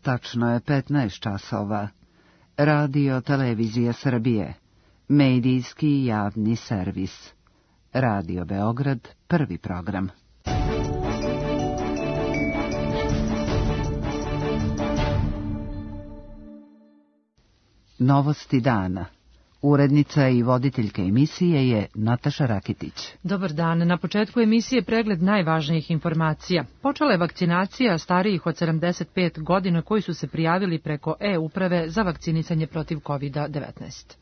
Tačno je 15 časova. Radio Televizija Srbije. Medijski javni servis. Radio Beograd, prvi program. Novosti dana. Urednica i voditeljka emisije je Nataša Rakitić. Dobar dan. Na početku emisije pregled najvažnijih informacija. Počela je vakcinacija starijih od 75 godina koji su se prijavili preko e-uprave za vakcinisanje protiv COVID-19.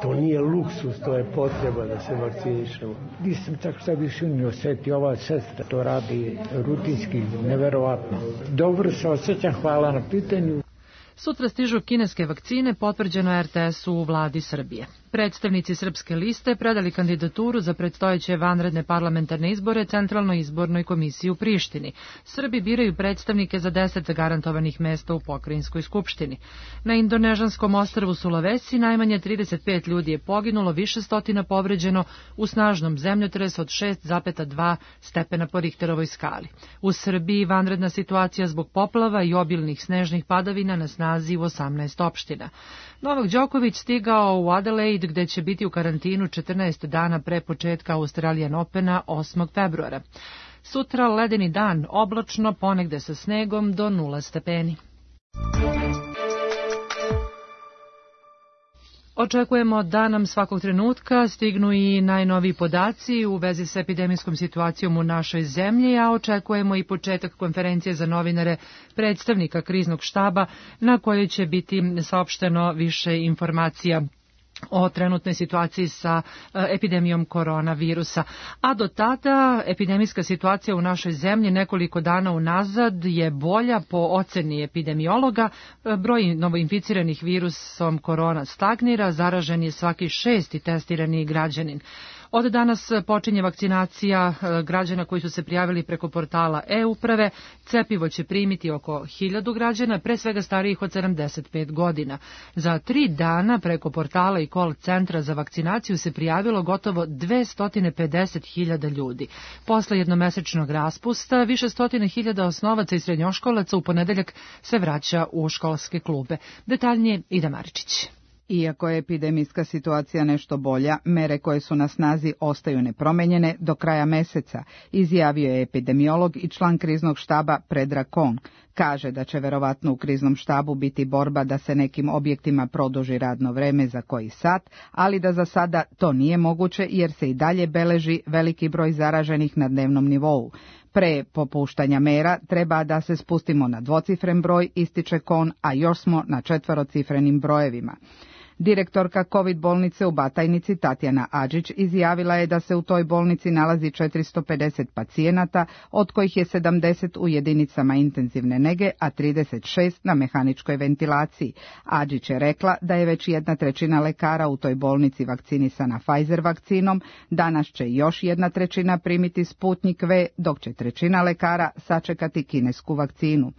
To nije luksus, to je potreba da se vakcinišemo. Nisam tako sad više ni osjetio, ova sestra to radi rutinski, neverovatno. Dobro se osjećam, hvala na pitanju. Sutra stižu kineske vakcine, potvrđeno RTS-u u vladi Srbije. Predstavnici Srpske liste predali kandidaturu za predstojeće vanredne parlamentarne izbore Centralnoj izbornoj komisiji u Prištini. Srbi biraju predstavnike za 10 garantovanih mesta u pokrajinskoj skupštini. Na indonežanskom ostrvu Sulawesi najmanje 35 ljudi je poginulo, više stotina povređeno u snažnom zemljotresu od 6,2 stepena po Richterovoj skali. U Srbiji vanredna situacija zbog poplava i obilnih snežnih padavina na snazi u 18 opština. Novak Đoković stigao u Adelaide gde će biti u karantinu 14 dana pre početka Australian Opena 8. februara. Sutra ledeni dan, oblačno, ponegde sa snegom do 0 stepeni. Očekujemo da nam svakog trenutka stignu i najnoviji podaci u vezi s epidemijskom situacijom u našoj zemlji, a očekujemo i početak konferencije za novinare predstavnika kriznog štaba na kojoj će biti saopšteno više informacija o trenutnoj situaciji sa epidemijom koronavirusa. A do tada epidemijska situacija u našoj zemlji nekoliko dana unazad je bolja po oceni epidemiologa. Broj novoinficiranih virusom korona stagnira, zaražen je svaki 6. testirani građanin. Od danas počinje vakcinacija građana koji su se prijavili preko portala e-uprave. Cepivo će primiti oko 1000 građana, pre svega starijih od 75 godina. Za 3 dana preko portala i call centra za vakcinaciju se prijavilo gotovo 250.000 ljudi. Posle jednomesečnog raspusta, više stotina hiljada osnovaca i srednjoškolaca u ponedeljak se vraća u školske klube. Detaljnije Ida Maričić. Iako je epidemijska situacija nešto bolja, mere koje su na snazi ostaju nepromenjene do kraja meseca, izjavio je epidemiolog i član kriznog štaba Predrag Kong. Kaže da će verovatno u kriznom štabu biti borba da se nekim objektima produži radno vreme za koji sat, ali da za sada to nije moguće jer se i dalje beleži veliki broj zaraženih na dnevnom nivou. Pre popuštanja mera treba da se spustimo na dvocifren broj, ističe Kon, a još smo na 4-cifrenim brojevima. Direktorka COVID bolnice u Batajnici Tatjana Adžić izjavila je da se u toj bolnici nalazi 450 pacijenata, od kojih je 70 u jedinicama intenzivne nege, a 36 na mehaničkoj ventilaciji. Adžić je rekla da je već 1/3 lekara u toj bolnici vakcinisana Pfizer vakcinom, danas će još 1/3 primiti Sputnik V, dok će 1/3 lekara sačekati kinesku vakcinu.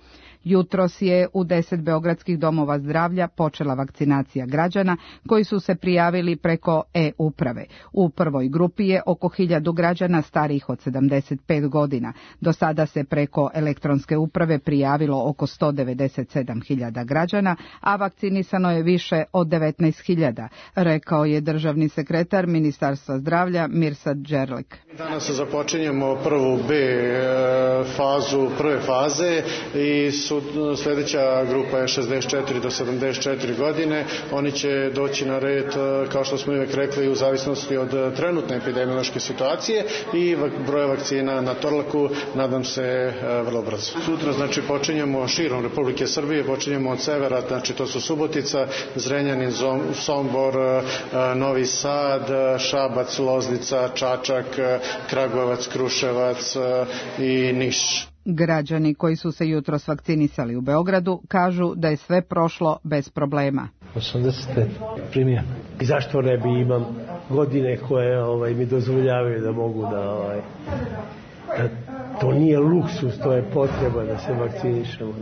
Jutros je u 10 beogradskih domova zdravlja počela vakcinacija građana koji su se prijavili preko e-uprave. U prvoj grupi je oko 1000 građana starijih od 75 godina. Do sada se preko elektronske uprave prijavilo oko 197.000 građana, a vakcinisano je više od 19.000, rekao je državni sekretar Ministarstva zdravlja Mirsad Đerlek. Danas započinjemo prvu B fazu, prve faze i sljedeća grupa je 64 do 74 godine. Oni će doći na red, kao što smo uvijek rekli, u zavisnosti od trenutne epidemiološke situacije i broja vakcina na Torlaku, nadam se, vrlo brzo. Sutra, znači, počinjemo širom Republike Srbije, počinjemo od severa, znači to su Subotica, Zrenjanin, Sombor, Novi Sad, Šabac, Loznica, Čačak, Kragujevac, Kruševac i Niš. Građani koji su se jutros vakcinisali u Beogradu kažu da je sve prošlo bez problema. 85 primio. I zašto ne bi, imam godine koje mi dozvoljavaju da mogu da to nije luksus, to je potreba da se vakcinišemo.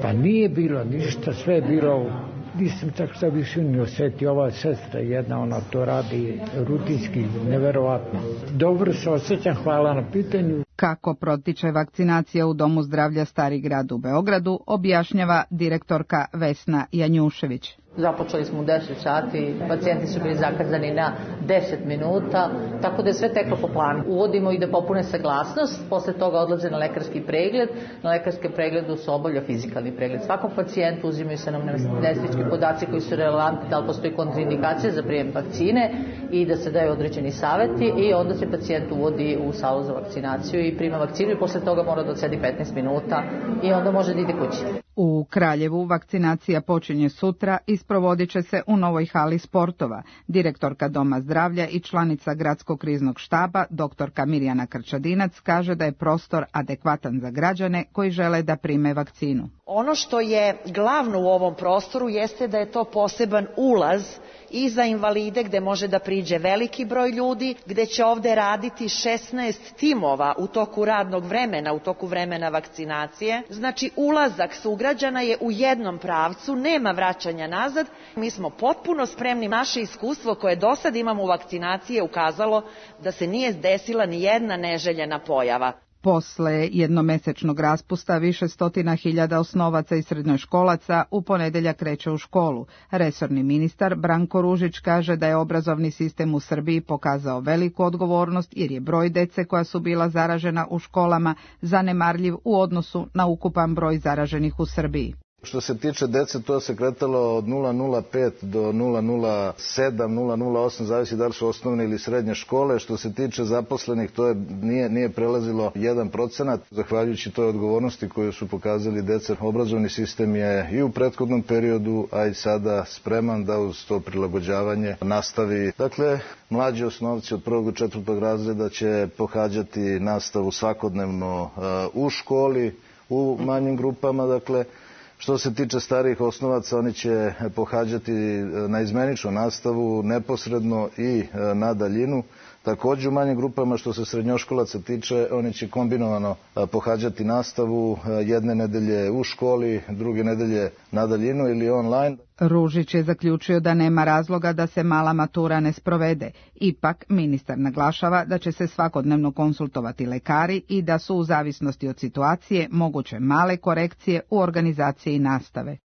Pa nije bilo ništa, sve je bilo Nisam tako sad više ni osjetio, ova sestra jedna, ona to radi rutinski, neverovatno. Dobro se osjećam, hvala na pitanju. Kako protiče vakcinacija u Domu zdravlja Stari grad u Beogradu, objašnjava direktorka Vesna Janjušević. Započeli smo u 10 sati, pacijenti su bili zakazani na 10 minuta, tako da je sve teklo po planu. Uvodimo ih da popune saglasnost, posle toga odlaze na lekarski pregled. Na lekarskom pregledu se obavlja fizikalni pregled. Svakom pacijentu uzimaju se anamnestički podaci koji su relevantni, da li postoji kontraindikacija za prijem vakcine i da se daju određeni saveti i onda se pacijent uvodi u salu za vakcinaciju i prima vakcinu i posle toga mora da odsedi 15 minuta i onda može da ide kući. U Kraljevu vakcinacija počinje sutra i sprovodit će se u novoj hali sportova. Direktorka Doma zdravlja i članica Gradskog kriznog štaba, doktorka Mirjana Krčadinac, kaže da je prostor adekvatan za građane koji žele da prime vakcinu. Ono što je glavno u ovom prostoru jeste da je to poseban ulaz i za invalide gde može da priđe veliki broj ljudi, gde će ovde raditi 16 timova u toku radnog vremena, u toku vremena vakcinacije. Znači ulazak sugrađana je u jednom pravcu, nema vraćanja nazad. Mi smo potpuno spremni, naše iskustvo koje do sad imamo u vakcinaciji je ukazalo da se nije desila ni jedna neželjena pojava. Posle jednomesečnog raspusta više stotina hiljada osnovaca i srednjoškolaca u ponedeljak kreće u školu. Resorni ministar Branko Ružić kaže da je obrazovni sistem u Srbiji pokazao veliku odgovornost jer je broj dece koja su bila zaražena u školama zanemarljiv u odnosu na ukupan broj zaraženih u Srbiji. Što se tiče dece, to se kretalo od 0,05 do 0,07, 0,08, zavisi da li su osnovne ili srednje škole. Što se tiče zaposlenih, to nije prelazilo 1%. Zahvaljujući toj odgovornosti koju su pokazali deca, obrazovni sistem je i u prethodnom periodu, a i sada spreman da uz to prilagođavanje nastavi. Dakle, mlađi osnovci od 1. do 4. razreda će pohađati nastavu svakodnevno u školi, u manjim grupama, dakle. Što se tiče starijih osnovaca, oni će pohađati naizmeničnu nastavu neposredno i na daljinu. Također u manjim grupama, što se srednjoškolaca tiče, oni će kombinovano pohađati nastavu jedne nedelje u školi, druge nedelje na daljinu ili online. Ružić je zaključio da nema razloga da se mala matura ne sprovede. Ipak, ministar naglašava da će se svakodnevno konsultovati lekari i da su u zavisnosti od situacije moguće male korekcije u organizaciji nastave.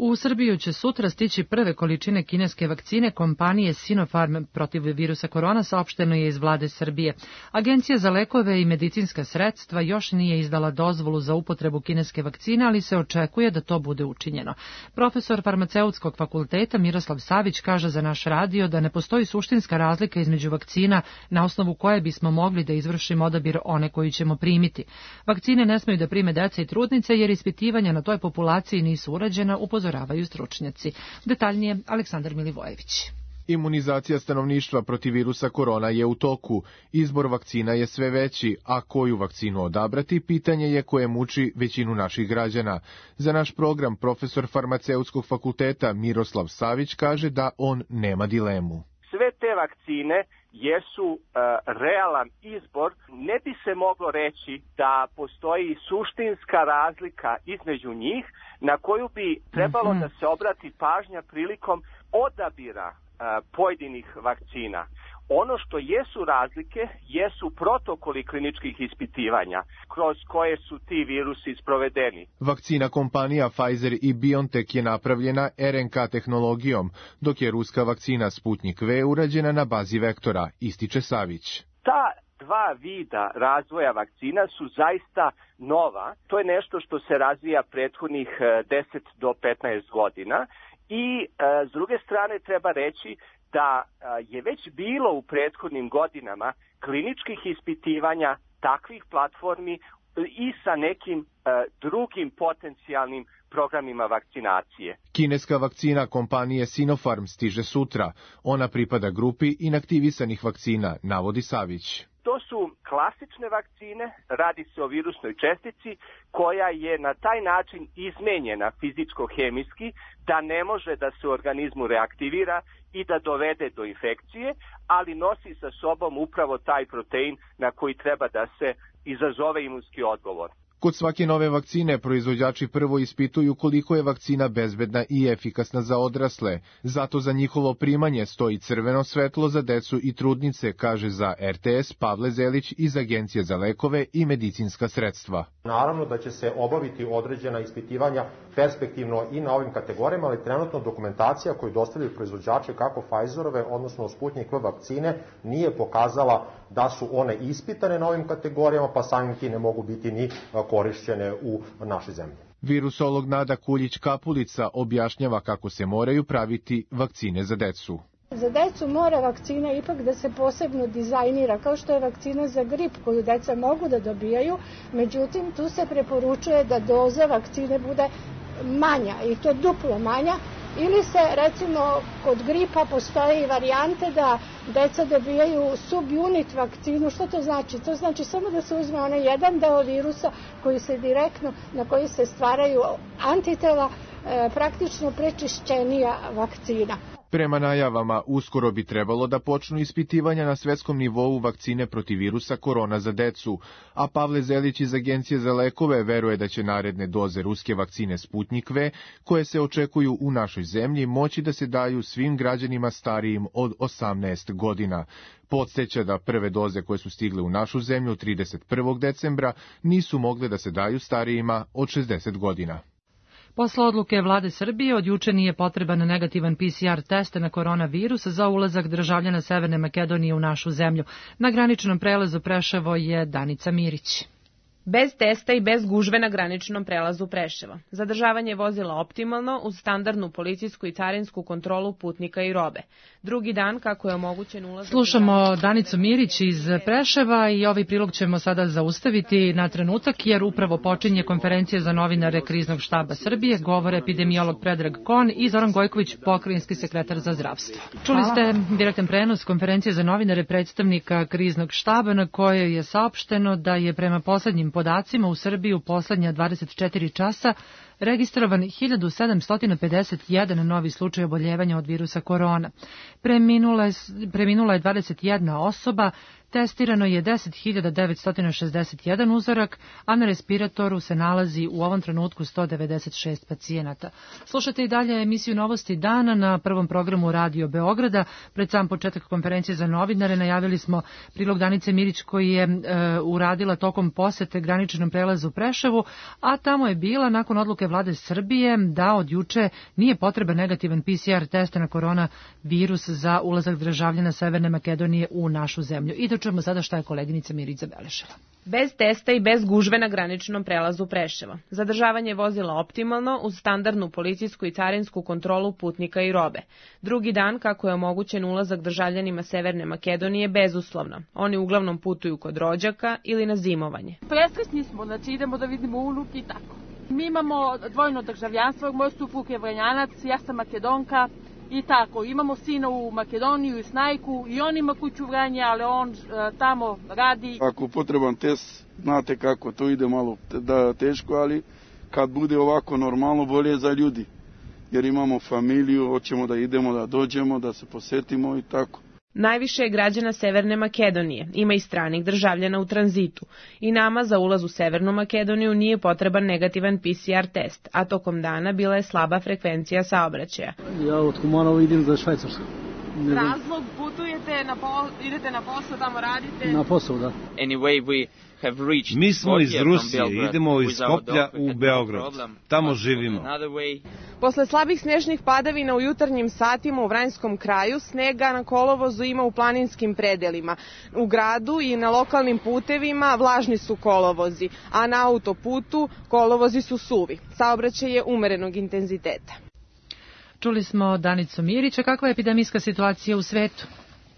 U Srbiju će sutra stići prve količine kineske vakcine kompanije Sinopharm protiv virusa korona, saopšteno je iz vlade Srbije. Agencija za lekove i medicinska sredstva još nije izdala dozvolu za upotrebu kineske vakcine, ali se očekuje da to bude učinjeno. Profesor farmaceutskog fakulteta Miroslav Savić kaže za naš radio da ne postoji suštinska razlika između vakcina na osnovu koje bismo mogli da izvršimo odabir one koju ćemo primiti. Vakcine ne smeju da prime deca i trudnice jer ispitivanja na toj populaciji nisu urađena, upozoravaju stručnjaci. Detaljnije Aleksandar Milivojević. Imunizacija stanovništva protiv virusa korona je u toku. Izbor vakcina je sve veći, a koju vakcinu odabrati, pitanje je koje muči većinu naših građana. Za naš program profesor farmaceutskog fakulteta Miroslav Savić kaže da on nema dilemu. Sve te vakcine jesu realan izbor. Ne bi se moglo reći da postoji suštinska razlika između njih na koju bi trebalo da se obrati pažnja prilikom odabira pojedinih vakcina. Ono što jesu razlike jesu protokoli kliničkih ispitivanja kroz koje su ti virusi sprovedeni. Vakcina kompanija Pfizer i BioNTech je napravljena RNK tehnologijom, dok je ruska vakcina Sputnik V urađena na bazi vektora, ističe Savić. Ta dva vida razvoja vakcina su zaista nova. To je nešto što se razvija prethodnih 10 do 15 godina i s druge strane treba reći da je već bilo u prethodnim godinama kliničkih ispitivanja takvih platformi i sa nekim drugim potencijalnim programima vakcinacije. Kineska vakcina kompanije Sinopharm stiže sutra. Ona pripada grupi inaktivisanih vakcina, navodi Savić. To su klasične vakcine, radi se o virusnoj čestici koja je na taj način izmenjena fizičko-hemijski da ne može da se u organizmu reaktivira i da dovede do infekcije, ali nosi sa sobom upravo taj protein na koji treba da se izazove imunski odgovor. Kod svake nove vakcine proizvođači prvo ispituju koliko je vakcina bezbedna i efikasna za odrasle. Zato za njihovo primanje stoji crveno svetlo za decu i trudnice, kaže za RTS Pavle Zelić iz Agencije za lekove i medicinska sredstva. Naravno da će se obaviti određena ispitivanja perspektivno i na ovim kategorijama, ali trenutno dokumentacija koju dostavljaju proizvođači kako Pfizerove, odnosno Sputnik V vakcine, nije pokazala da su one ispitane na ovim kategorijama, pa samim tim ne mogu biti ni korišćene u našoj zemlji. Virusolog Nada Kuljić-Kapulica objašnjava kako se moraju praviti vakcine za decu. Za decu mora vakcina ipak da se posebno dizajnira, kao što je vakcina za grip koju deca mogu da dobijaju, međutim tu se preporučuje da doza vakcine bude manja i to duplo manja, ili se recimo kod gripa postoje i varijante da deca dobijaju subunit vakcinu. Što to znači? To znači samo da se uzme onaj jedan deo virusa koji se direktno, na koji se stvaraju antitela, praktično prečišćenija vakcina. Prema najavama, uskoro bi trebalo da počnu ispitivanja na svetskom nivou vakcine protiv virusa korona za decu, a Pavle Zelić iz Agencije za lekove veruje da će naredne doze ruske vakcine Sputnik V, koje se očekuju u našoj zemlji, moći da se daju svim građanima starijim od 18 godina. Podsjeća da prve doze koje su stigle u našu zemlju 31. decembra nisu mogle da se daju starijima od 60 godina. Posle odluke vlade Srbije od juče nije potreban negativan PCR test na koronavirus za ulazak državljana Severne Makedonije u našu zemlju. Na graničnom prelazu Preševo je Danica Mirić. Bez testa i bez gužve na graničnom prelazu Preševo. Zadržavanje vozila optimalno uz standardnu policijsku i carinsku kontrolu putnika i robe. Drugi dan kako je omogućen ulazak... Slušamo Danicu Mirić iz Preševa i ovaj prilog ćemo sada zaustaviti na trenutak jer upravo počinje konferencija za novinare Kriznog štaba Srbije, govore epidemiolog Predrag Kon i Zoran Gojković, pokrajinski sekretar za zdravstvo. Čuli ste direktan prenos konferencije za novinare predstavnika Kriznog štaba na kojoj je saopšteno da je prema poslednjim podacima u Srbiji u poslednja 24 časa registrovan 1751 novi slučaj oboljevanja od virusa korona. Preminula je 21 osoba, testirano je 10.961 uzorak, a na respiratoru se nalazi u ovom trenutku 196 pacijenata. Slušate i dalje emisiju Novosti dana na prvom programu Radio Beograda. Pred sam početak konferencije za novinare najavili smo prilog Danice Mirić koji je uradila tokom posete graničnom prelazu u Preševu, a tamo je bila nakon odluke vlade Srbije da od juče nije potreban negativan PCR test na koronavirus za ulazak državljana Severne Makedonije u našu zemlju. I da čujemo sada šta je koleginica Mirić zabeležila. Bez testa i bez gužve na graničnom prelazu Preševo. Zadržavanje vozila optimalno uz standardnu policijsku i carinsku kontrolu putnika i robe. Drugi dan kako je omogućen ulazak državljanima Severne Makedonije bezuslovno. Oni uglavnom putuju kod rođaka ili na zimovanje. Presrećni smo, znači idemo da vidimo unuk i tako. Mi imamo dvojno državljanstvo, moj suprug je Vranjanac, ja sam Makedonka i tako. Imamo sina u Makedoniju i Snajku i on ima kuću u Vranje, ali on tamo radi. Ako potreban test, znate kako, to ide malo teško, ali kad bude ovako normalno, bolje za ljudi. Jer imamo familiju, hoćemo da idemo, da dođemo, da se posetimo i tako. Najviše je građana Severne Makedonije, ima i stranih državljana u tranzitu. I nama za ulaz u Severnu Makedoniju nije potreban negativan PCR test, a tokom dana bila je slaba frekvencija saobraćaja. Ja od Kumanova idem za Švajcarsku. Razlog, putujete, idete na posao, tamo radite? Na posao, da. Mi smo iz Rusije, idemo iz Skoplja u Beograd. Tamo živimo. Posle slabih snežnih padavina u jutarnjim satima u Vranjskom kraju, snega na kolovozu ima u planinskim predelima. U gradu i na lokalnim putevima vlažni su kolovozi, a na autoputu kolovozi su suvi. Saobraćaj je umerenog intenziteta. Čuli smo Danicu Mirića. Kakva je epidemijska situacija u svetu?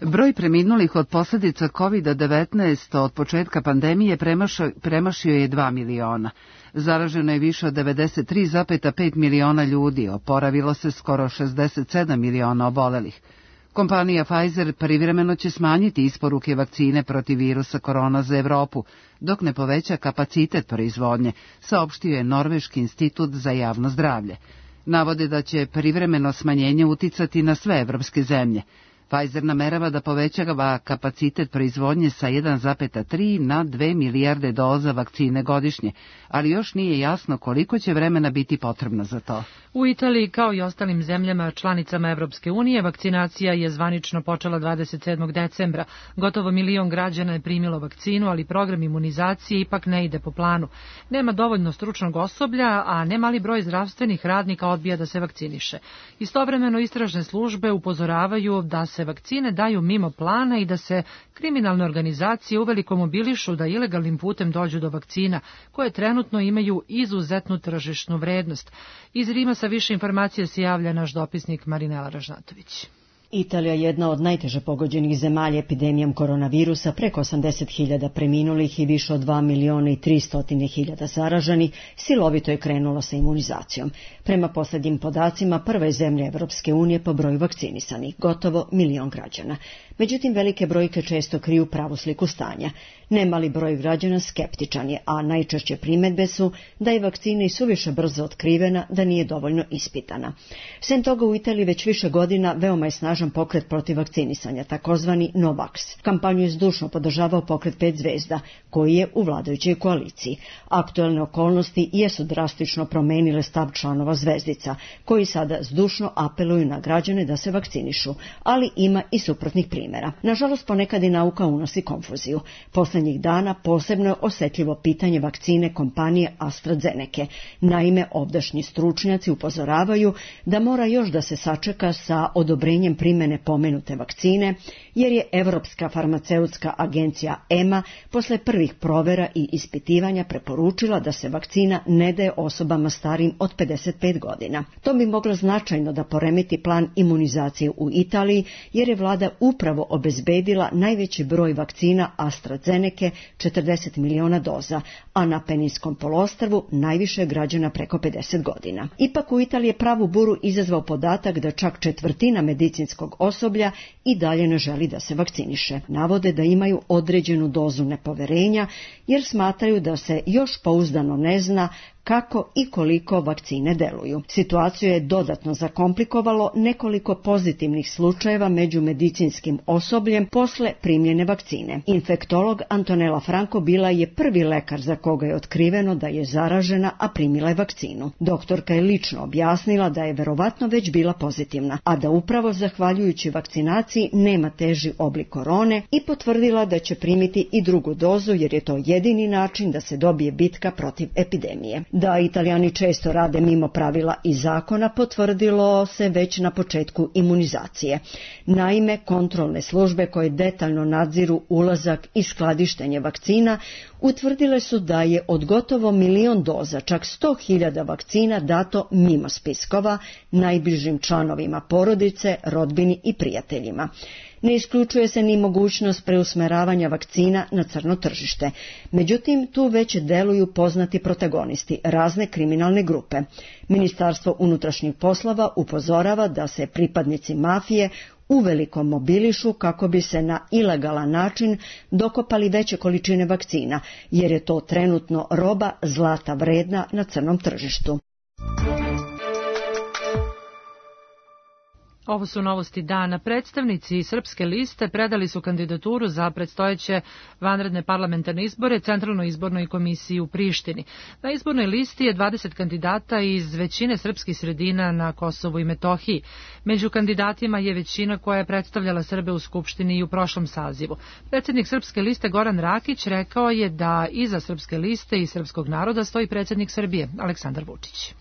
Broj preminulih od posljedica COVID-19 od početka pandemije premašio je 2 miliona. Zaraženo je više od 93,5 miliona ljudi, oporavilo se skoro 67 miliona obolelih. Kompanija Pfizer privremeno će smanjiti isporuke vakcine protiv virusa korona za Evropu, dok ne poveća kapacitet proizvodnje, saopštio je Norveški institut za javno zdravlje. Navode da će privremeno smanjenje uticati na sve evropske zemlje. Pfizer namerava da povećava kapacitet proizvodnje sa 1,3 na 2 milijarde doza vakcine godišnje, ali još nije jasno koliko će vremena biti potrebno za to. U Italiji, kao i ostalim zemljama članicama Evropske unije, vakcinacija je zvanično počela 27. decembra. Gotovo 1 milion građana je primilo vakcinu, ali program imunizacije ipak ne ide po planu. Nema dovoljno stručnog osoblja, a nemali broj zdravstvenih radnika odbija da se vakciniše. Istovremeno istražne službe upozoravaju da se vakcine daju mimo plana i da se kriminalne organizacije uveliko mobilišu da ilegalnim putem dođu do vakcina, koje trenutno imaju izuzetnu tržišnu vrednost. Iz Rima sa više informacija se javlja naš dopisnik Marinela Ražnatović. Italija je jedna od najteže pogođenih zemalja epidemijom koronavirusa, preko 80.000 preminulih i više od 2.300.000 zaraženih, silovito je krenula sa imunizacijom. Prema posljednjim podacima, prva je zemlja Evropske unije po broju vakcinisanih, gotovo 1 milion građana. Međutim, velike brojke često kriju pravu sliku stanja. Nemali broj građana skeptičan je, a najčešće primedbe su da je vakcina i suviše brzo otkrivena, da nije dovoljno ispitana. Sem toga, u Italiji već više godina veoma je snažan pokret protiv vakcinisanja, takozvani Novax. Kampanju je zdušno podržavao pokret 5 zvezda, koji je u vladajućoj koaliciji. Aktuelne okolnosti jesu drastično promenile stav članova zvezdica, koji sada zdušno apeluju na građane da se vakcinišu, ali ima i suprotnih primjera. Nažalost, ponekad i nauka unosi konfuziju. Poslednjih dana posebno je osetljivo pitanje vakcine kompanije AstraZeneca. Naime, ovdašnji stručnjaci upozoravaju da mora još da se sačeka sa odobrenjem primjene pomenute vakcine, jer je Evropska farmaceutska agencija EMA posle prvih provera i ispitivanja preporučila da se vakcina ne daje osobama starijim od 55 godina. To bi moglo značajno da poremeti plan imunizacije u Italiji, jer je vlada upravo obezbedila najveći broj vakcina AstraZeneca, 40 miliona doza, a na Peninskom poluostrvu najviše građana preko 50 godina. Ipak u Italiji je pravu buru izazvao podatak da čak 1/4 medicinskog osoblja i dalje ne želi da se vakciniše. Navode da imaju određenu dozu nepoverenja, jer smatraju da se još pouzdano ne zna kako i koliko vakcine deluju. Situaciju je dodatno zakomplikovalo nekoliko pozitivnih slučajeva među medicinskim osobljem posle primljene vakcine. Infektolog Antonella Franco bila je prvi lekar za koga je otkriveno da je zaražena, a primila je vakcinu. Doktorka je lično objasnila da je verovatno već bila pozitivna, a da upravo zahvaljujući vakcinaciji nema teži oblik korone, i potvrdila da će primiti i drugu dozu, jer je to jedini način da se dobije bitka protiv epidemije. Da Italijani često rade mimo pravila i zakona potvrdilo se već na početku imunizacije. Naime, kontrolne službe koje detaljno nadziru ulazak i skladištenje vakcina utvrdile su da je od gotovo 1 milion doza, čak 100.000 vakcina dato mimo spiskova, najbližim članovima porodice, rodbini i prijateljima. Ne isključuje se ni mogućnost preusmeravanja vakcina na crno tržište. Međutim, tu već deluju poznati protagonisti, razne kriminalne grupe. Ministarstvo unutrašnjih poslova upozorava da se pripadnici mafije uveliko mobilišu kako bi se na ilegalan način dokopali veće količine vakcina, jer je to trenutno roba zlata vredna na crnom tržištu. Ovo su novosti dana. Predstavnici Srpske liste predali su kandidaturu za predstojeće vanredne parlamentarne izbore Centralnoj izbornoj komisiji u Prištini. Na izbornoj listi je 20 kandidata iz većine srpskih sredina na Kosovu i Metohiji. Među kandidatima je većina koja je predstavljala Srbe u Skupštini i u prošlom sazivu. Predsjednik Srpske liste Goran Rakić rekao je da iza Srpske liste i srpskog naroda stoji predsjednik Srbije Aleksandar Vučić.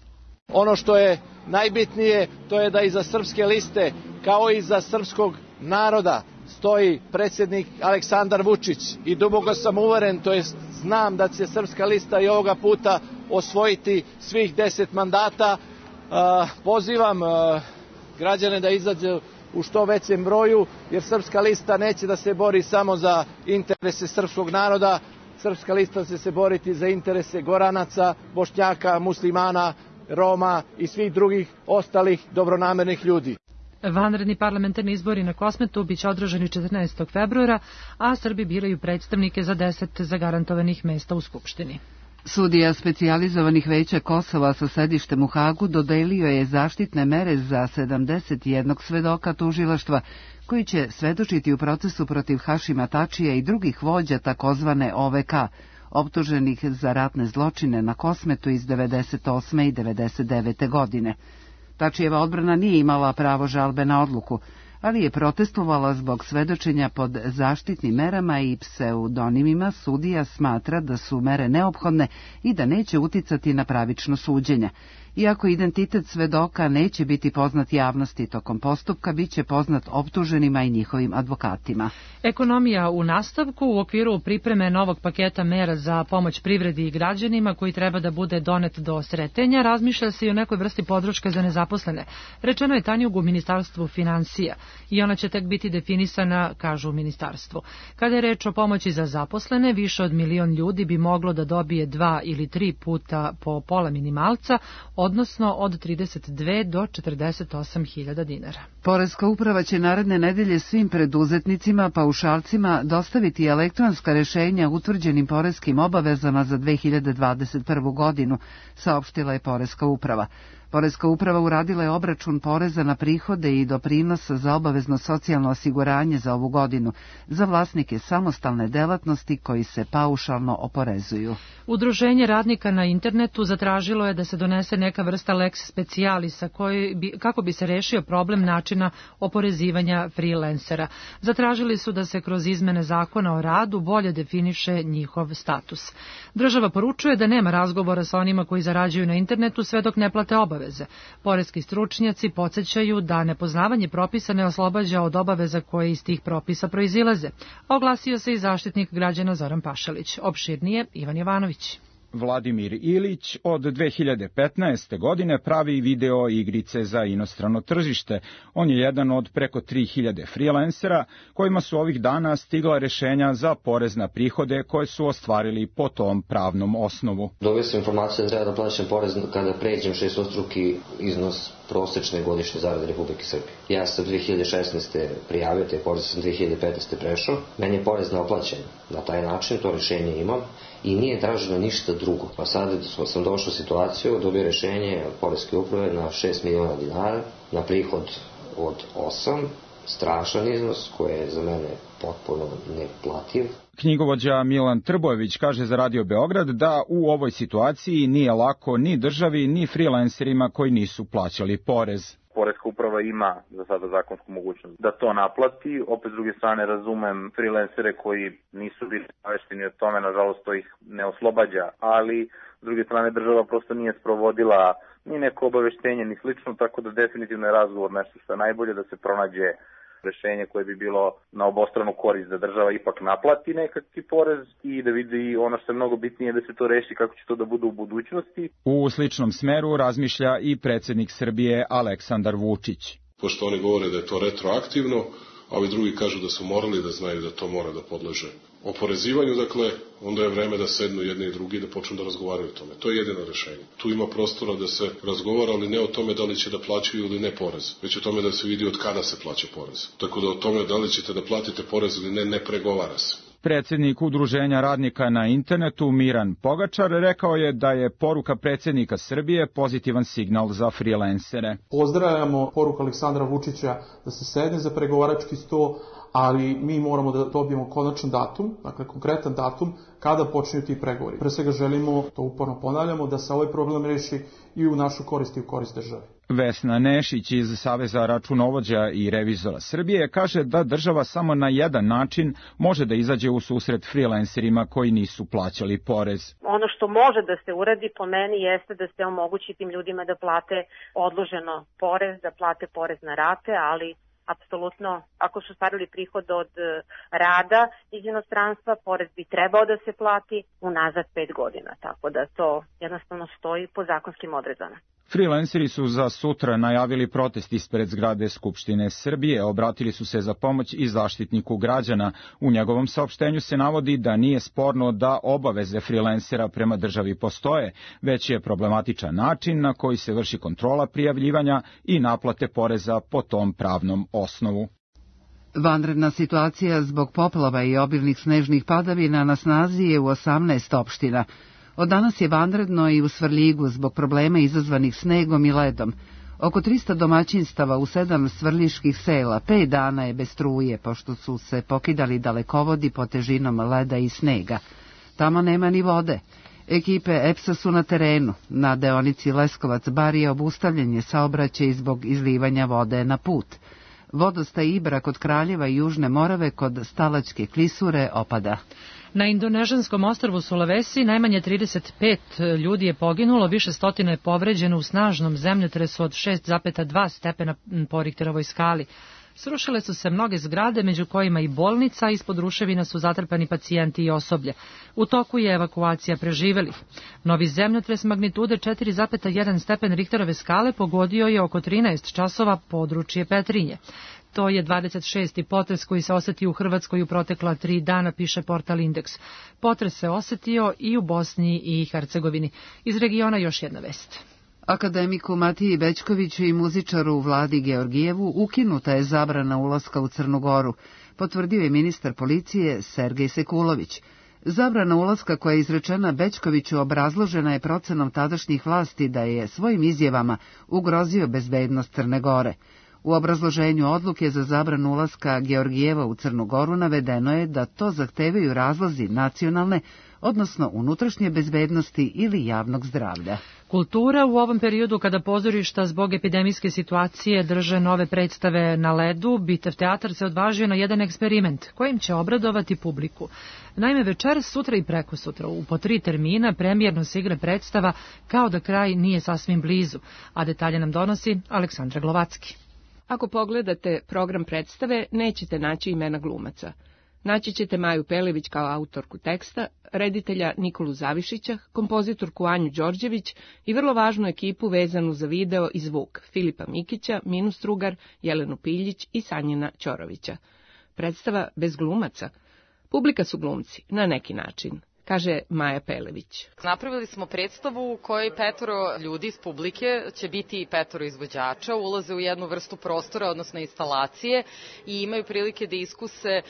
Ono što je najbitnije, to je da iza Srpske liste, kao i iza srpskog naroda, stoji predsjednik Aleksandar Vučić. I duboko sam uveren, to jest znam da će Srpska lista i ovoga puta osvojiti svih 10 mandata. Pozivam građane da izađu u što većem broju, jer Srpska lista neće da se bori samo za interese srpskog naroda. Srpska lista će se boriti za interese Goranaca, Bošnjaka, Muslimana, Roma i svih drugih ostalih dobronamernih ljudi. Vanredni parlamentarni izbori na Kosmetu biće održani 14. februara, a Srbi biraju predstavnike za 10 zagarantovanih mesta u Skupštini. Sudija specijalizovanih veća Kosova sa sedištem u Hagu dodelio je zaštitne mere za 71 svedoka tužilaštva koji će svedočiti u procesu protiv Hašima Tačija i drugih vođa takozvane OVK, optuženih za ratne zločine na Kosmetu iz 98. i 99. godine. Tačijeva odbrana nije imala pravo žalbe na odluku, ali je protestovala zbog svedočenja pod zaštitnim merama i pseudonimima. Sudija smatra da su mere neophodne i da neće uticati na pravično suđenje. Iako identitet svedoka neće biti poznat javnosti tokom postupka, bit će poznat optuženima i njihovim advokatima. Ekonomija u nastavku. U okviru pripreme novog paketa mera za pomoć privredi i građanima koji treba da bude donet do Sretenja, razmišlja se i o nekoj vrsti podrške za nezaposlene. Rečeno je Tanjug u Ministarstvu finansija i ona će tek biti definisana, kažu u ministarstvu. Kada je reč o pomoći za zaposlene, više od 1 milion ljudi bi moglo da dobije 2 ili 3 puta po pola minimalca, odnosno od 32 do 48.000 dinara. Poreska uprava će naredne nedelje svim preduzetnicima, paušalcima dostaviti elektronska rešenja utvrđenim poreskim obavezama za 2021. godinu, saopštila je Poreska uprava. Poreska uprava uradila je obračun poreza na prihode i doprinosa za obavezno socijalno osiguranje za ovu godinu za vlasnike samostalne delatnosti koji se paušalno oporezuju. Udruženje radnika na internetu zatražilo je da se donese neka vrsta lex specialisa kako bi se rešio problem načina oporezivanja freelancera. Zatražili su da se kroz izmene zakona o radu bolje definiše njihov status. Država poručuje da nema razgovora sa onima koji zarađuju na internetu sve dok ne plate obaveze. Poreski stručnjaci podsjećaju da nepoznavanje propisa ne oslobađa od obaveza koje iz tih propisa proizilaze. Oglasio se i zaštitnik građana Zoran Pašalić. Opširnije Ivan Jovanović. Vladimir Ilić od 2015. godine pravi video igrice za inostrano tržište. On je jedan od preko 3000 freelancera kojima su ovih dana stigla rešenja za porez na prihode koje su ostvarili po tom pravnom osnovu. Dobio sam informaciju da treba da plaćam porez kada pređem 6-struki iznos prosečne godišnje zarade Republike Srbije. Ja sam 2016. prijavio taj porez, sam 2015. prešao. Meni je porez naplaćen na taj način, to rešenje imam i nije traženo ništa drugo. Pa sad sam došao u situaciju, dobio rešenje od Poreske uprave na 6 miliona dinara, na prihod od 8, strašan iznos koji je za mene potpuno neplativ. Knjigovođa Milan Trbojević kaže za Radio Beograd da u ovoj situaciji nije lako ni državi ni freelancerima koji nisu plaćali porez. Poreska uprava ima za sada zakonsku mogućnost da to naplati. Opet s druge strane razumem freelancere koji nisu bili obavešteni o tome, nažalost to ih ne oslobađa, ali s druge strane država prosto nije sprovodila ni neko obaveštenje ni slično, tako da definitivno je razgovor nešto što je najbolje, da se pronađe rešenje koje bi bilo na obostranu korist, da država ipak naplati nekakvi porez i da vidi ono što je mnogo bitnije, da se to reši kako će to da bude u budućnosti. U sličnom smeru razmišlja i predsjednik Srbije Aleksandar Vučić. Pošto oni govore da je to retroaktivno, a ovi drugi kažu da su morali da znaju da to mora da podleže oporezivanju, dakle, onda je vreme da sednu jedni i drugi da počnu da razgovaraju o tome. To je jedino rešenje. Tu ima prostora da se razgovara, ali ne o tome da li će da plaćaju ili ne porez, već o tome da se vidi od kada se plaća porez. Tako da o tome da li ćete da platite porez ili ne pregovara se. Predsjednik Udruženja radnika na internetu Miran Pogačar rekao je da je poruka predsjednika Srbije pozitivan signal za freelancere. Pozdravljamo poruku Aleksandra Vučića da se sedne za pregovarački sto, ali mi moramo da dobijemo konačan datum, dakle konkretan datum kada počinju ti pregovori. Pre svega želimo, to uporno ponavljamo, da se ovaj problem reši i u našu korist i u korist države. Vesna Nešić iz Saveza računovođa i revizora Srbije kaže da država samo na jedan način može da izađe u susret freelancerima koji nisu plaćali porez. Ono što može da se uradi po meni jeste da se omogući tim ljudima da plate odloženo porez, da plate porez na rate, ali apsolutno, ako su stvarili prihod od rada iz inostranstva, porez bi trebao da se plati unazad 5 godina, tako da to jednostavno stoji po zakonskim odredbama. Freelanceri su za sutra najavili protest ispred zgrade Skupštine Srbije, obratili su se za pomoć i zaštitniku građana. U njegovom saopštenju se navodi da nije sporno da obaveze freelancera prema državi postoje, već je problematičan način na koji se vrši kontrola prijavljivanja i naplate poreza po tom pravnom osnovu. Vanredna situacija zbog poplava i obilnih snežnih padavina na snazi je u 18 opština. Od danas je vanredno i u Svrljigu zbog problema izazvanih snegom i ledom. Oko 300 domaćinstava u 7 svrljiških sela 5 dana je bez struje, pošto su se pokidali dalekovodi pod težinom leda i snega. Tamo nema ni vode. Ekipe EPS-a su na terenu. Na deonici Leskovac-Bar je obustavljen je saobraćaj zbog izlivanja vode na put. Vodostaj Ibra kod Kraljeva i Južne Morave kod Stalačke klisure opada. Na indonežanskom ostrvu Sulawesi najmanje 35 ljudi je poginulo, više stotina je povređeno u snažnom zemljotresu od 6,2 stepena po Richterovoj skali. Srušile su se mnoge zgrade, među kojima i bolnica, ispod ruševina su zatrpani pacijenti i osoblje. U toku je evakuacija preživelih. Novi zemljotres magnitude 4,1 stepen Richterove skale pogodio je oko 13 časova područje Petrinje. To je 26. potres koji se osetio u Hrvatskoj u protekla 3 dana, piše portal Indeks. Potres se osetio i u Bosni i Hercegovini. Iz regiona još jedna vest. Akademiku Matiji Bećkoviću i muzičaru Vladi Georgijevu ukinuta je zabrana ulaska u Crnu Goru, potvrdio je ministar policije Sergej Sekulović. Zabrana ulaska koja je izrečena Bećkoviću obrazložena je procenom tadašnjih vlasti da je svojim izjavama ugrozio bezbednost Crne Gore. U obrazloženju odluke za zabranu ulaska Georgijeva u Crnu Goru navedeno je da to zahtevaju razlozi nacionalne, odnosno unutrašnje bezbednosti ili javnog zdravlja. Kultura u ovom periodu kada pozorišta zbog epidemijske situacije drže nove predstave na ledu, Bitev teatar se odvažio na jedan eksperiment kojim će obradovati publiku. Naime, večeras, sutra i prekosutra u po 3 termina premijerno se igra predstava Kao da kraj nije sasvim blizu, a detalje nam donosi Aleksandra Glovacki. Ako pogledate program predstave, nećete naći imena glumaca. Naći ćete Maju Pelević kao autorku teksta, reditelja Nikolu Zavišića, kompozitorku Anju Đorđević i vrlo važnu ekipu vezanu za video i zvuk Filipa Mikića, Minu Strugar, Jelenu Piljić i Sanjina Ćorovića. Predstava bez glumaca. Publika su glumci, na neki način, kaže Maja Pelević. Napravili smo predstavu u kojoj 5 ljudi iz publike će biti 5 izvođača, ulaze u jednu vrstu prostora, odnosno instalacije i imaju prilike da iskuse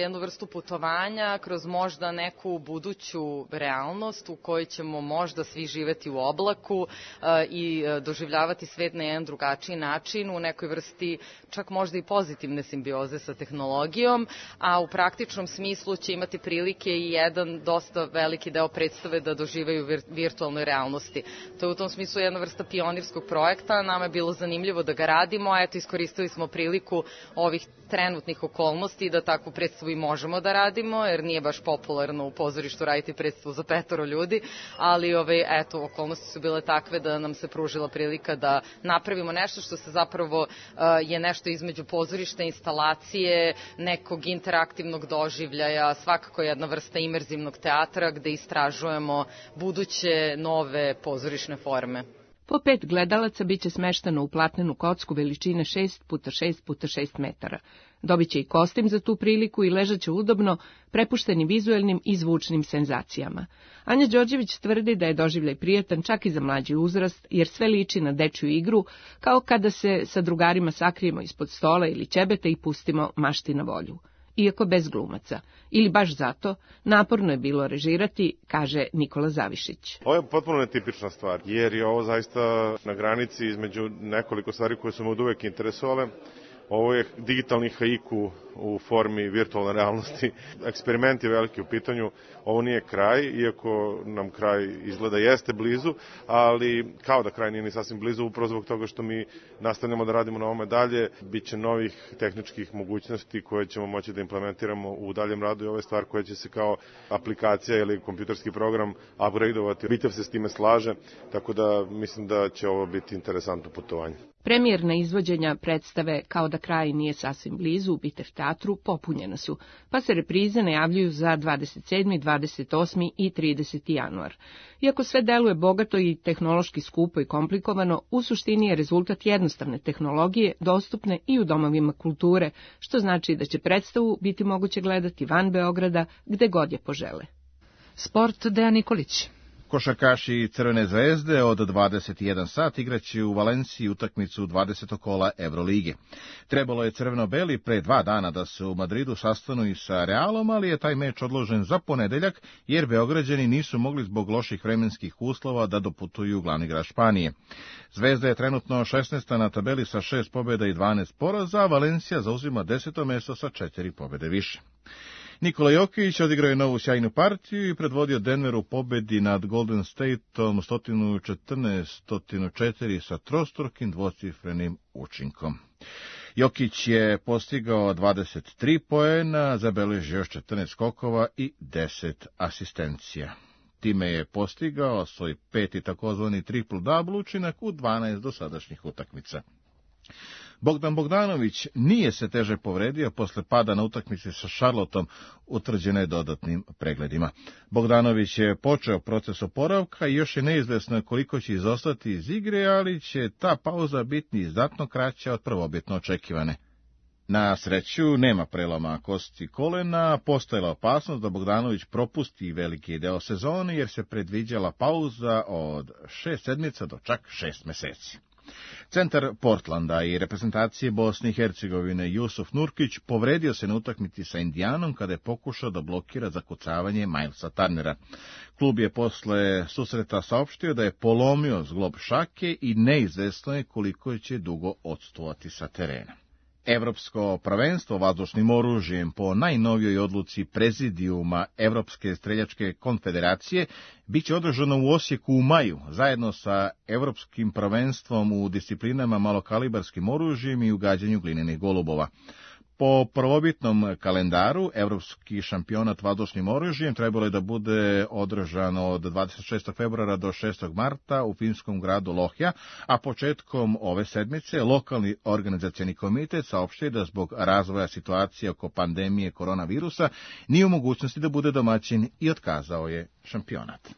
jednu vrstu putovanja kroz možda neku buduću realnost u kojoj ćemo možda svi živeti u oblaku i doživljavati svet na jedan drugačiji način, u nekoj vrsti čak možda i pozitivne simbioze sa tehnologijom, a u praktičnom smislu će imati prilike i jedan dosta veliki deo predstave da doživaju virtualnoj realnosti. To je u tom smislu jedna vrsta pionirskog projekta, nama je bilo zanimljivo da ga radimo, a eto iskoristili smo priliku ovih trenutnih okolnosti da takvu predstavu i možemo da radimo, jer nije baš popularno u pozorištu raditi predstavu za 5 ljudi, ali eto, okolnosti su bile takve da nam se pružila prilika da napravimo nešto što se zapravo je nešto između pozorišta, instalacije, nekog interaktivnog doživljaja, svakako jedna vrsta imerzivnog teatra gde istražujemo buduće nove pozorišne forme. Po 5 gledalaca biće smeštano u platnenu kocku veličine 6x6x6 metara. Dobiće i kostim za tu priliku i ležaće udobno, prepušteni vizuelnim i zvučnim senzacijama. Anja Đorđević tvrdi da je doživljaj prijatan čak i za mlađi uzrast, jer sve liči na dečju igru, kao kada se sa drugarima sakrijemo ispod stola ili ćebeta i pustimo mašti na volju. Iako bez glumaca. Ili baš zato, naporno je bilo režirati, kaže Nikola Zavišić. Ovo je potpuno netipična stvar, jer je ovo zaista na granici između nekoliko stvari koje su me od uvek interesovale. Ovo je digitalni haiku u formi virtualne realnosti. Eksperiment je veliki u pitanju. Ovo nije kraj, iako nam kraj izgleda jeste blizu, ali kao da kraj nije ni sasvim blizu, upravo zbog toga što mi nastavljamo da radimo na ovome dalje. Biće novih tehničkih mogućnosti koje ćemo moći da implementiramo u daljem radu i ove stvar koje će se kao aplikacija ili kompjuterski program upgradeovati. Bitev se s time slaže, tako da mislim da će ovo biti interesantno putovanje. Premijerna izvođenja predstave Kao da kraj nije sasvim blizu u Bitev teatru popunjena su, pa se reprize najavljuju za 27., 28. i 30. januar. Iako sve deluje bogato i tehnološki skupo i komplikovano, u suštini je rezultat jednostavne tehnologije dostupne i u domovima kulture, što znači da će predstavu biti moguće gledati van Beograda gde god je požele. Sport, Dejan Nikolić. Košarkaši Crvene zvezde od 21 sat igraće u Valenciji utakmicu 20. kola Evrolige. Trebalo je crveno-beli pre 2 dana da se u Madridu sastanu i sa Realom, ali je taj meč odložen za ponedeljak, jer Beograđani nisu mogli zbog loših vremenskih uslova da doputuju glavni grad Španije. Zvezda je trenutno 16. na tabeli sa 6 pobjeda i 12 poraza, a Valencija zauzima 10. mesto sa 4 pobjede više. Nikola Jokić odigrao je novu sjajnu partiju i predvodio Denver u pobedi nad Golden Stateom 114-104 sa trostrukim dvocifrenim učinkom. Jokić je postigao 23 poena, zabeležio još 14 skokova i 10 asistencija. Time je postigao svoj 5. takozvani triple-double učinak u 12 dosadašnjih utakmica. Bogdan Bogdanović nije se teže povredio posle pada na utakmici sa Charlotteom, utvrđene dodatnim pregledima. Bogdanović je počeo proces oporavka i još je neizvesno koliko će izostati iz igre, ali će ta pauza biti znatno kraća od prvobitno očekivane. Na sreću nema preloma kosti kolena, postojala opasnost da Bogdanović propusti veliki deo sezone jer se predviđala pauza od 6 sedmica do čak 6 meseci. Centar Portlanda i reprezentacije Bosne i Hercegovine Jusuf Nurkić povredio se na utakmici sa Indijanom kada je pokušao da blokira zakucavanje Milesa Turnera. Klub je posle susreta saopštio da je polomio zglob šake i neizvesno je koliko će dugo odstovati sa terena. Evropsko prvenstvo vazdušnim oružjem po najnovijoj odluci prezidijuma Evropske streljačke konfederacije biće održano u Osijeku u maju, zajedno sa Evropskim prvenstvom u disciplinama malokalibarskim oružjem i ugađanju glinenih golubova. Po prvobitnom kalendaru, Evropski šampionat vazdušnim oružjem trebalo je da bude održan od 26. februara do 6. marta u finskom gradu Lohja, a početkom ove sedmice lokalni organizacioni komitet saopštio da zbog razvoja situacije oko pandemije koronavirusa nije u mogućnosti da bude domaćin i otkazao je šampionat.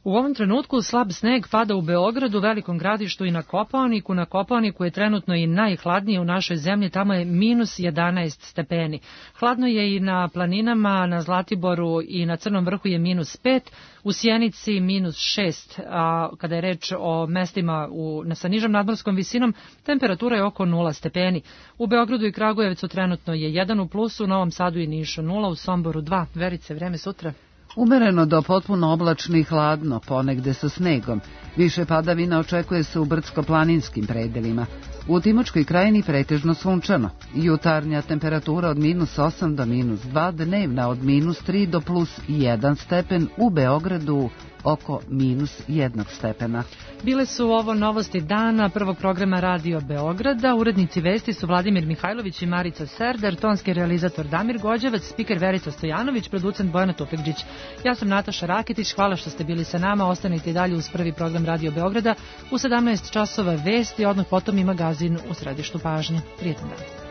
U ovom trenutku slab sneg pada u Beogradu, Velikom Gradištu i na Kopaoniku. Na Kopaoniku je trenutno i najhladnije u našoj zemlji, tamo je minus 11 stepeni. Hladno je i na planinama, na Zlatiboru i na Crnom vrhu je minus 5, u Sjenici minus 6, a kada je reč o mestima sa nižom nadmorskom visinom, temperatura je oko 0 stepeni. U Beogradu i Kragujevcu trenutno je 1 u plusu, u Novom Sadu i Nišu 0, u Somboru 2. Verice, vreme sutra? Umereno do potpuno oblačno i hladno, ponegde sa snegom. Više padavina očekuje se u brdsko-planinskim predelima. U Timočkoj krajini pretežno sunčano. Jutarnja temperatura od minus 8 do minus 2, dnevna od minus 3 do plus 1 stepen, u Beogradu oko minus 1 stepena. Bile su ovo novosti dana prvog programa Radio Beograda. Urednici vesti su Vladimir Mihajlović i Marica Serdar, tonski realizator Damir Gođevac, spiker Verica Stojanović, producent Bojana Tufekđić. Ja sam Nataša Raketić, hvala što ste bili sa nama. Ostanite i dalje uz prvi program Radio Beograda. U 17 časova vesti, odmah potom i magazin U središtu pažnje. Prijetan dan.